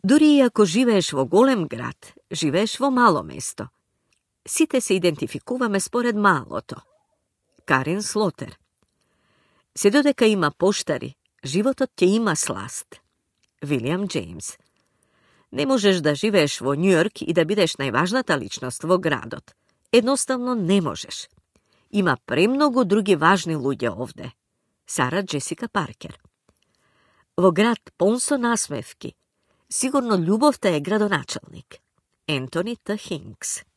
Дури и ако живееш во голем град, живееш во мало место. Сите се идентификуваме според малото. Карен Слотер. Се додека има поштари, животот ќе има сласт. Вилијам Џејмс. Не можеш да живееш во Њујорк и да бидеш најважната личност во градот. Едноставно не можеш. Има премногу други важни луѓе овде. Сара Джесика Паркер. Во град полн со насмевки, сигурно љубовта е градоначалник. Ентони Т. Хинкс.